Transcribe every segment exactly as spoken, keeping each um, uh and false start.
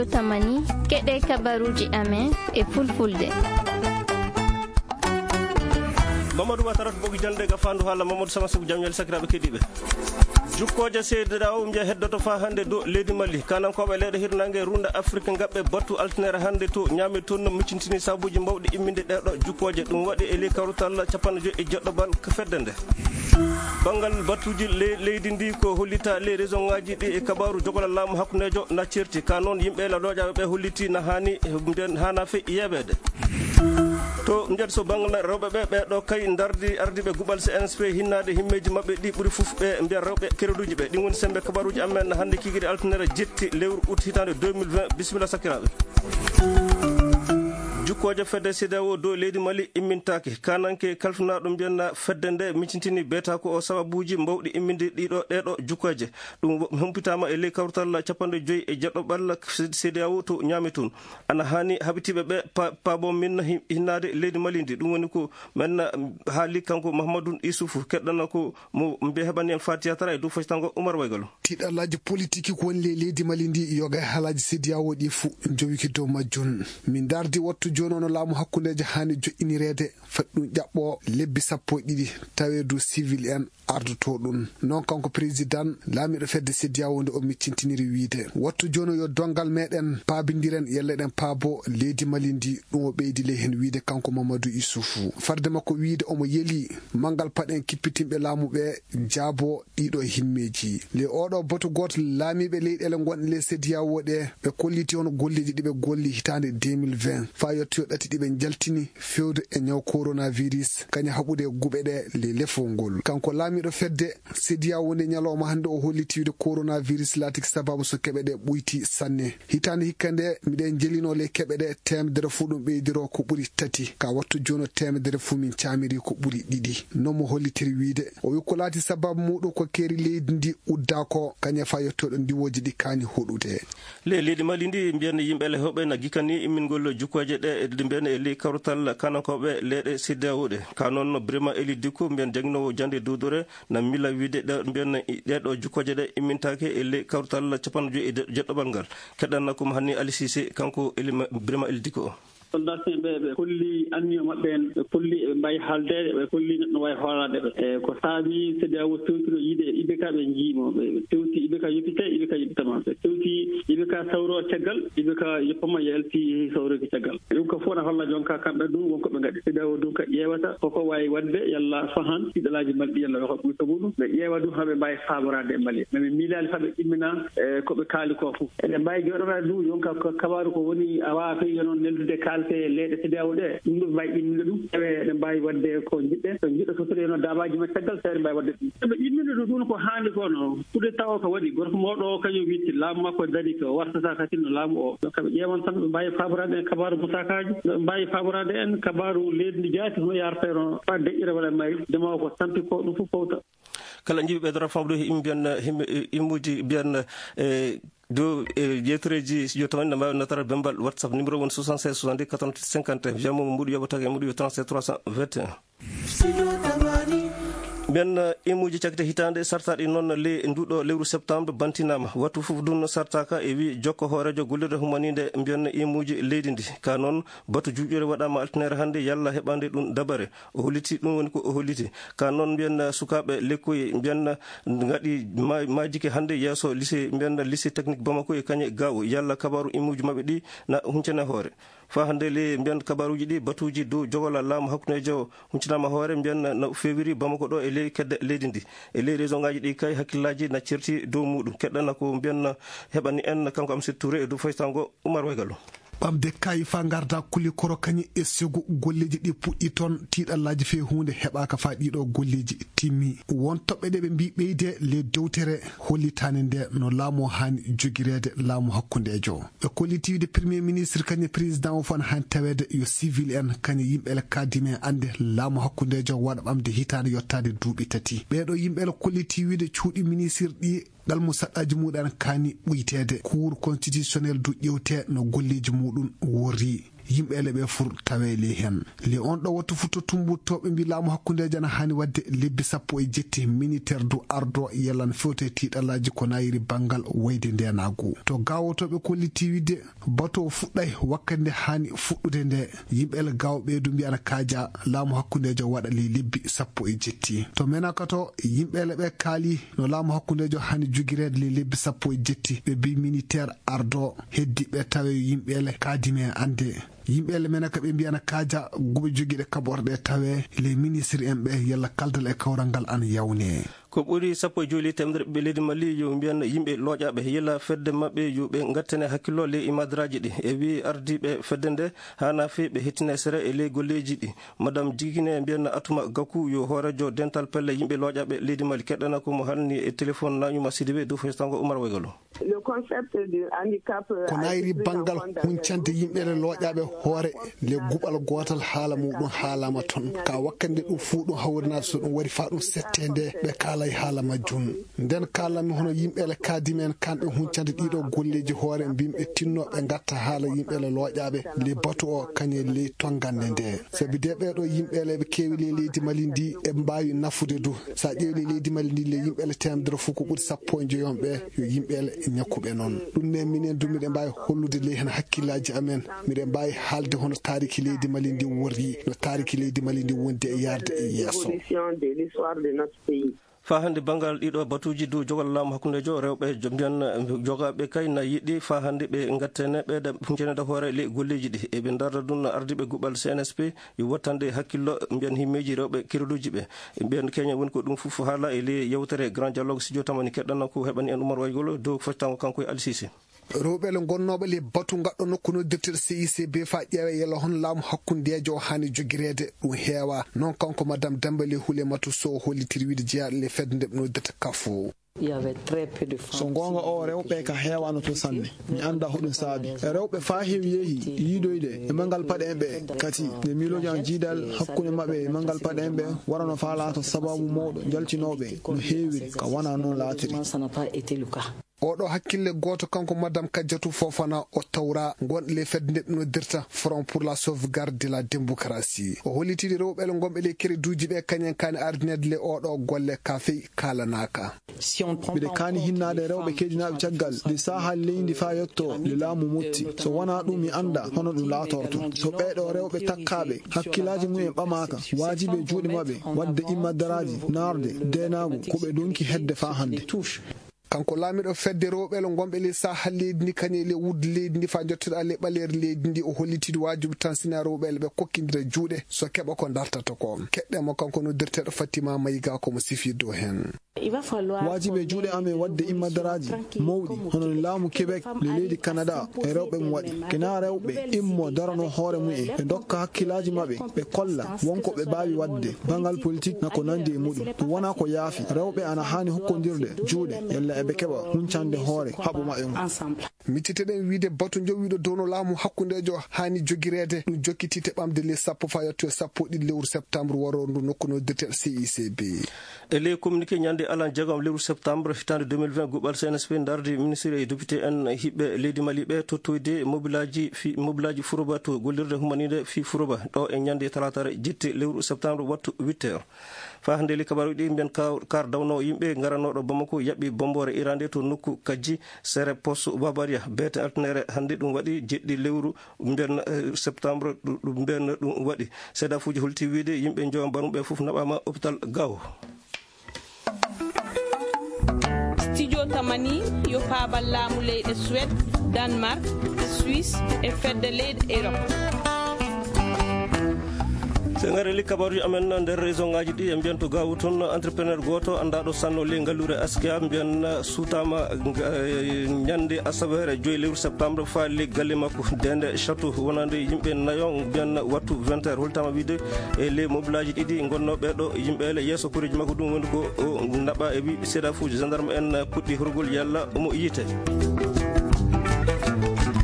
Tamani, keɗe kabaruji amen e fulfulde. Mamadou Watara to ɓogi jande ga fandu haala Mamadou Sama Sow, jam ñaali sakiraaɓe keɗiiɓe. Jukkooje seededaawo mbiya heddoto faa hannde dow leydi Mali. Kanankooɓe leyɗe hirnaange runda Afrique ngaɓɓe battu altinere hannde to ñaame toon no miccintini sabuuji mawɗi imminde ɗee ɗo jukkooje. Ɗum waɗi e ley kawrital capanɗe joyi e jeɗɗo bal ko fedde nde. Banngal batuuji le-, leydi ndi ko hollita ley région ngaji ɗi e kabaaru jogola laamu hakkundeejo na certi. Ka noon yimɓe la looƴaaɓe ɓe holliti na haani, nden haana fe yeeɓeede. To nder so banngal rewɓe ɓe, ɓe ɗo kay ndardi ardiiɓe guɓal C N S P hinnaade himmeeji maɓɓe ɗi ɓuri fof ɓe mbiya rewɓe kereduuji ɓe. Ɗin woni sembe kabaaruuji amen hannde kikiiɗe altinere jetti lewru août hitaande deux mille vingt. Bisimilla sakiraaɓe. Jukkooje fedde CEDEAO dow leydi Mali immintaake. Kananke kalfinaaɗo mbiyanna fedde nde micintini beeta ko o sababuuji mawɗi imminde ɗiɗo ɗeeɗo jukkooje. Ɗum wo-, humpitaama e ley kawtal capanɗe joyi e jeɗɗo ɓalla CEDEAO to Niamey toon. Ana haani haɓitiiɓe ɓe pa-, paabo min hi-, hinnaade leydi Mali ndi. Ɗum woni ko men, mm, haali kanko Mahamadou Issoufou, keɗɗana ko mo mbe heɓani en Fatiya Tara e dow faytango Oumar Waygalo. Tiiɗallaaji politiki ko woni ley leydi Mali ndi, yoga e haalaaji CEDEAO ɗi fuu njowiki dow majjum. Min ndardi wattu jooni ono laamu hakkundeejo haani joƴƴinireede, fat ɗum ƴaɓɓo lebbi sappo e ɗiɗi, tawe dow civil en ardotoo ɗum. Noon kanko président laamiiɗo fedde CEDEAO nde o miccintiniri wiyde, wattu jooni yo donngal meɗen paabindiren, yalla eɗen paabo leydi Mali ndi, ɗum o ɓeydi ley heen wiyde kanko Mamadou Issoufou. Farde makko wiyde omo yeli manngal paɗen kippitinɓe laamu ɓe jaabo ɗiɗo himmeeji. Ley oɗo batu gooto laamiiɓe leyɗeele ngonɗe ley CEDEAO ɗe, ɓe kolliti hono golleeji ɗi ɓe golli hitaande deux mille vingt, faa yettoyo ɗati ɗi ɓe njaltini fewde e ñaw coronavirus, kañum haɓude guɓe ɗe ley lefol ngol. Kanko laamiiɗo fedde CEDEAO nde ñalawma hannde o holliti wiyde coronavirus laatiki sababu so keɓe ɗe ɓoyti sanne. Hitaande hikka nde miɗen njelinoo ley keɓe ɗe teemedere fuu ɗum ɓeydiro ko ɓuri tati. Ka wattu jooni teemedere fuu min caamiri ko ɓuri ɗiɗi. No mo hollitiri wiyde, o wi ko laati sababu muɗum ko keeri leydi ndi uddaa ko, kañum faa yettoɗo ndiwooji ɗi kaani hoɗude. Le leydi Mali ndi mbiyan yimɓe le hoɓe na gikani immingol jukkooje ɗe, ɗe mbiyan e ley kawtal kanankooɓe leyɗe CEDEAO ɗe. Ka noon no Birima Eli Dikko mbiyan jaginoowo jande duudure na mila wiyde ɗe mbiyan ɗe ɗo jukkooje ɗe immintaake e ley kawtal capanɗe joyi e jeɗɗoɓal ngal. Keɗɗanna ko mo hanni Ali Cissé, kanko Eli Ma-, Birima Eli Dikko o. Soldat ɓe, ɓe kolli anniyo maɓɓe en, ɓe kolli eɓe mbaawi haaldeede, ɓe kolli neɗɗo waawi hoolaade ɓe. E ko saabi CEDEAO fewtino yiide I B K ɓe njiimo, ɓe, ɓe tewti I B K yoppite, I B K yoppitama. Ɓe tewti I B K sawro caggal, I B K yoppama yalti sawroki caggal. Ɗum ko fof na holla jonka kamɓe ɗum wonko ɓe ngaɗi. CEDEAO ɗum ka ƴeewata, koko waawi waɗde, yalla fahan, tiiɗalaaji mbaɗi, yalla ko ɓuri sabu ɗum. Ɓe ƴeewa ɗum haa ɓe mbaawi faaboraade e Mali. Mais ɓe miilaali faa ɓe immina, e, ko ɓe kaali ko fof. Eɗen mbaawi jooɗoraade ɗum, yonka ko kabaaru ko woni, a waawaa fii yo noon neldude kaalte leyɗe CEDEAO ɗe. Ɗum ɗum mbaawi imnude ɗum. Tawi eɗen mbaawi waɗde ko njiɗɗen. So njiɗɗo fottude yo noon daabaaji men caggal, tawi eɗen mbaawi waɗde ɗum. Eɓe imnude ɗum, ɗum ko haandi ko no. Coup d'État o ko waɗi, gorko mawɗo o kañum witti laamu makko darii ko wartata kadi no laamu o. Donc ɓe ƴeewan tan ɓe mbaawi faaboraade en kabaaru mosakaaji, ɓe mbaawi faaboraade en kabaaru leydi ndi jaati hono yaarata no faa deƴƴira walla mayri. Ndema o ko tampi ko ɗum fof fowta. Kala njiɗi ɓeydora famɗude he imbiyan, him-, e, immuuji mbiyan, e, dow, e, yewtereeji studio tamani, na mbaawi natara bembal WhatsApp, numéro woni soixante-seize soixante-dix quatre-vingt-huit cinquante et un. Wiyamo mo mbuɗu yoɓata e mbuɗu yo trente-sept trois cent vingt et un. Mbiyan, e, immuuji cakite hitaande sartaaɗi noon le nduɗo lewru septembre bantinaama. Wattu fof ɗum sartaaka e wi jokko hooreejo gollirde humaniinde mbiyan immuuji leydi ndi. Ka noon, batu juuƴere waɗaama altinere hannde yalla heɓande ɗum dabare. O holliti, ɗum woni ko o holliti. Ka noon mbiyan sukaaɓe lekkoy mbiyan ngaɗi ma-, majike hannde yeeso lycée, mbiyan lycée technique Bamako e kañe Gao. Yalla kabaaru immuuji maɓɓe ɗi na huncane hoore. Faa hannde le mbiyan kabaaruuji ɗi batuuji dow jogola laamu hakkundeejo huncanaama hoore mbiyan na fewiri Bamako ɗo e ley kedde leydi ndi. E ley région ngaji ɗi kay hakkillaaji na certi dow muɗum. Keɗɗana ko mbiyan heɓani en kanko Amset Touré e dow faytango Oumar Waygalo. Ɓamde kaayi faa ngarda kuli koro kañi e segu golleeji ɗi puɗɗi toon, tiiɗallaaji fee huunde heɓaaka faa ɗiɗo golleeji timmi. Won toɓɓe ɗe ɓe mbii ɓeyde le dewtere hollitaande nde no laamu o haani jogireede laamu hakkundeejo. Ɓe kolliti wiide premier ministre kañum président o fof ana haani taweede yo civil en kañum yimɓe le kadime annde laamu hakkundeejo waɗa ɓamde hitaande yottaade duuɓi tati. Ɓeeɗo yimɓe le kolliti wiide cuuɗi ministre ɗi Ngal mo saɗɗaaji muɗum ana kaani ɓuyteede. Cour constitutionnel du ƴewte no golleeji muɗum worri. Yimɓe ele ɓe fur tawe ley heen. Le on ɗo wattu futto tumbuttooɓe mbi laamu hakkundeejo ana haani waɗde lebbi sappo e jetti, miniteer du ardo yellan fewte tiiɗalaaji ko nayiri banngal wayde ndeenaagu. To gaawotooɓe kolliti wiide bato o fuɗɗay wakkati nde haani fuɗɗude nde. Yimɓe ele gaawo ɓe du mbi ana kaaja laamu hakkundeejo waɗa ley lebbi sappo e jetti. To menaka to yimɓe ele ɓe kaali no laamu hakkundeejo haani jogireede ley lebbi sappo e jetti. Ɓe mbi miniteer ardo heddi ɓe tawe yimɓe ele kaadime annde. Yimɓe ele mena ka ɓe mbiyana kaaja guɓe jogiiɗe kaɓorɗe tawe les ministres en ɓe yalla kaldal e kawral ngal ana yawne. Ko ɓuri sappo e joyi ley teemedere ɓiɓɓe leydi Mali yo mbiyan yimɓe looƴaaɓe yalla fedde maɓɓe yo ɓe ngattane hakkillo ley imadaraaji ɗi. E wi ardiiɓe fedde nde haana fii ɓe hettine sere e ley golleeji ɗi. Madame Jigine mbiyan Atuma Gaku yo hooreejo dental pelle yimɓe looƴaaɓe leydi Mali. Keɗɗana ko mo halni e téléphone Nañuma Sidibe dow festango Umar Waygalo. Le concept du handicap. Ko nayri banngal huncande yimɓe le looƴaaɓe hoore le guɓal gootal haala muɗum haalama toon. Ka wakkande ɗum fuu ɗum hawrinaade so ɗum wari faa ɗum settee nde ɓe kaalay haala majjum. Nden kaalami hono yimɓe le kaadimi en kamɓe huncande ɗiɗo golleeji hoore mbimɓe tinnooɓe ngatta haala yimɓe le looƴaaɓe le batu o kañe ley tonngande nde. Sabi de ɓeeɗo yimɓe le ɓe keewi ley leydi Mali ndi e mbaawi nafude du. So a ƴeewi ley leydi Mali ndi le yimɓe le teemedere fof ko ɓuri sappo e joyi on ɓe yo yimɓe le ñakkuɓe noon. Ɗum ne minen du miɗen mbaawi hollude ley heen hakkillaaji amen. Miɗen mbaawi haalde hono taariki leydi Mali ndi worri, no taariki leydi Mali ndi wondi e yaarde e yeeso. Faa hannde banngal ɗiɗo batuuji du jogal laamu hakkundeejo rewɓe jo-, mbiyan jogaaɓe kay na yiɗi faa hannde ɓe ngattene ɓe da-, huncene da hoore ley golleeji ɗi. Eɓe ndarda ɗum no ardiiɓe guɓal C N S P yo wattande hakkillo mbiyan himmeeji rewɓe kiruɗuuji ɓe. Mbiyan keña woni ko ɗum fof haala e ley yewtere Grand Dialogue studio tamani keɗɗanno ko heɓani en Umar Waygol dow foctango kanko e Alsisi. Rewɓe le gonnooɓe le batu ngaɗɗo nokku noddirteɗo C I C B faa ƴeewa yalla hono laamu hakkundeejo o haani jogireede ɗum heewa. Noon kanko Madame Dembele Hulematu Sow hollitiri wiide jeyaaɗo le fedde nde ɓe noddirta kafo. So goonga o, rewɓe ka heewaano to sanne. Mi annda hoɗum saabi. Rewɓe faa heewi yehi yiidoyde e manngal paɗe en ɓe. Kati, nde miilooji an jiidal hakkunde maɓɓe e manngal paɗe en ɓe, warano faa laato sababu mawɗo jaltinooɓe no heewiri, ka wanaa noon laatiri. Oɗo hakkille gooto kanko Madame Kajjatu Fofana o tawra ngon le fedde nde ɓe noddirta Front pour la Sauvegarde de la Démocratie. O hollitiri rewɓe le ngonɓe le kereduuji ɓe kañen kaani ardineede le oɗo golle ka fey kaalanaaka. Mbiɗa kaani hinnaade rewɓe keedinaaɓe caggal nde saaha leydi faa yetto nde laamu motti. So wanaa ɗum mi annda hono ɗum laatorto. So ɓeeɗo rewɓe takkaaɓe hakkillaaji mum en ɓamaaka, waajibi e juuɗe maɓɓe waɗde immadaraaji naarde deenaagu ko ɓe donki hedde faa hannde. Kanko laamiɗo fedde rewɓe le ngonɓe le saaha leydi ndi kañe le wudde leydi ndi faa jottoɗa le ɓaleeri leydi ndi o hollitidi waajibi tan sina rewɓe le ɓe kokkindira juuɗe so keɓa ko dartata ko. Keɗɗe mo kanko noddirteeɗo Fatima Mayiga ko mo sifi dow heen. Waajibi e juuɗe amen waɗde immadaraaji mawɗi hono no laamu Québec le leydi Canada e rewɓe mum waɗi. Kena rewɓe immo darano hoore mum en ɓe dokka hakkillaaji maɓɓe ɓe kolla wonko ɓe mbaawi waɗde banngal politik na ko nanndi e muɗum. Ɗum wonaa ko yaafi. Rewɓe ana haani hokkondirde juuɗe yalla eɓe keɓa huncande hoore haɓu maɓɓe ngu. Micciteɗen wiide batu jowiiɗo dow no laamu hakkundeejo haani jogireede. Ɗum jokkiti te ɓamde le sappo faa yetto e sappo e ɗiɗi lewru septembre waroo ndu nokku no dirtel C I C B. E ley communiqué ñande alan jeegom lewru septembre hitaande deux mille vingt, guɓal C N S P ndardi ministre e député en hiɓɓe leydi Mali ɓe tottoyde mobilaaji fi-, mobilaaji Furoba to gollirde humaniinde fii Furoba ɗo e ñande talaatare jetti lewru septembre wattu huit heures. Faa hannde le kabaruuji ɗi mbiyan ka-, kar dawno yimɓe ngaranooɗo Bamako yaɓɓi bomboore irande to nokku Kajji sere poste Babaria beete altinere hannde ɗum waɗi jeɗɗi lewru mbiyan, eh, septembre ɗu-, ɗum mbiyan ɗum waɗi. Seedafuuji holti wiide yimɓe njowa mbaruɓe fof naɓaama hôpital Gao. Studio Tamani yo paabal laamu leyɗe Suède, Danemark, Suisse e fedde leyɗe Europe. So en ngarii ley kabaruuji amen nder région ŋaaji ɗi, en mbiyan to Gao toon, entrepreneur gooto anndaaɗo sanno ley ngalluure Askia, mbiyan suutaama, eh, ñande asaweere joyi lewru septembre faa ley galle makko, Dende Château, wonande yimɓe nayo, mbiyan wattu vingt heures. Holtaama wiide e ley mobilaaji ɗiɗi ngonnooɓe ɗo, yimɓe ele yeeso koreeji makko ɗum woni ko o naɓa e wi seedafuuji gendarme en puɗɗi horgol yalla omo yiite.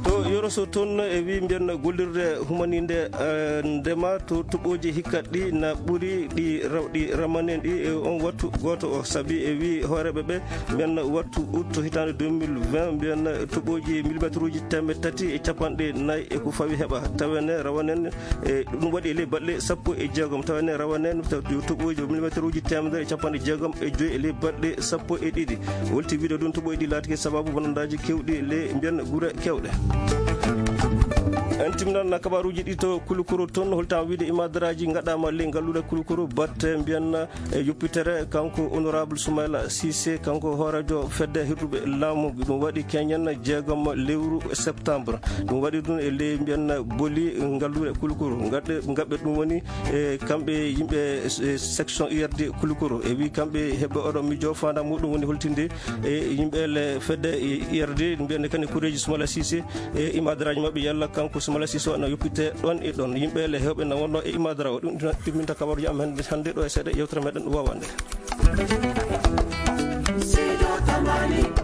To Yoro So toon e wi mbiyen gollirde humaninde, eh, ndema to toɓooji hikkat ɗi na ɓuri ɗi raw-, ɗi ramanen ɗi e on wattu gooto o. Sabi e wi hooreeɓe ɓe mbiyen wattu août hitaande deux mille vingt mbiyen toɓooji millimétre uji teemeɗɗe tati e capanɗe nayi e ko fawi heɓa. Tawene rawanen e ɗum waɗi e ley baɗle sappo e jeegom. Tawene rawanen to-, toɓooji millimétre uji teemedere e capanɗe jeegom e joyi e ley baɗle sappo e ɗiɗi. Wolti wiide ɗum toɓooji ɗi laatike sababu bonandaaji kewɗi le mbiyen gure kewɗe. En timminan kabaruuji ɗi to Kulukoro toon, holtam wiide imadaraaji ngaɗaama ley ngalluure Kulukoro batte mbiyen e yoppitere kanko honorable Soumaila Cissé, kanko hooreejo fedde hirduɓe laamu. Ɗum waɗi keñen jeegom lewru septembre. Ɗum waɗi ɗum e ley mbiyen boli ngalluure Kulukoro. Ngaɗe, ngaɓɓe ɗum woni e kamɓe yimɓe, e, section U R D Kulukoro. E wi kamɓe heɓɓe oɗo miijo faandaare muɗum woni holtinde e yimɓe le fedde, e, U R D, mbiyen kadi kureeji Soumaila Cissé e imadaraaji maɓɓe yalla kanko Soumaila Cissé o na yoppite ɗoon e ɗoon. Yimɓe le heewɓe na wonno e imadara o. Ɗum ɗum timminta kabaruuji am hannde, hannde ɗo e seeɗa yewtere meɗen wawande. Sido Tamani.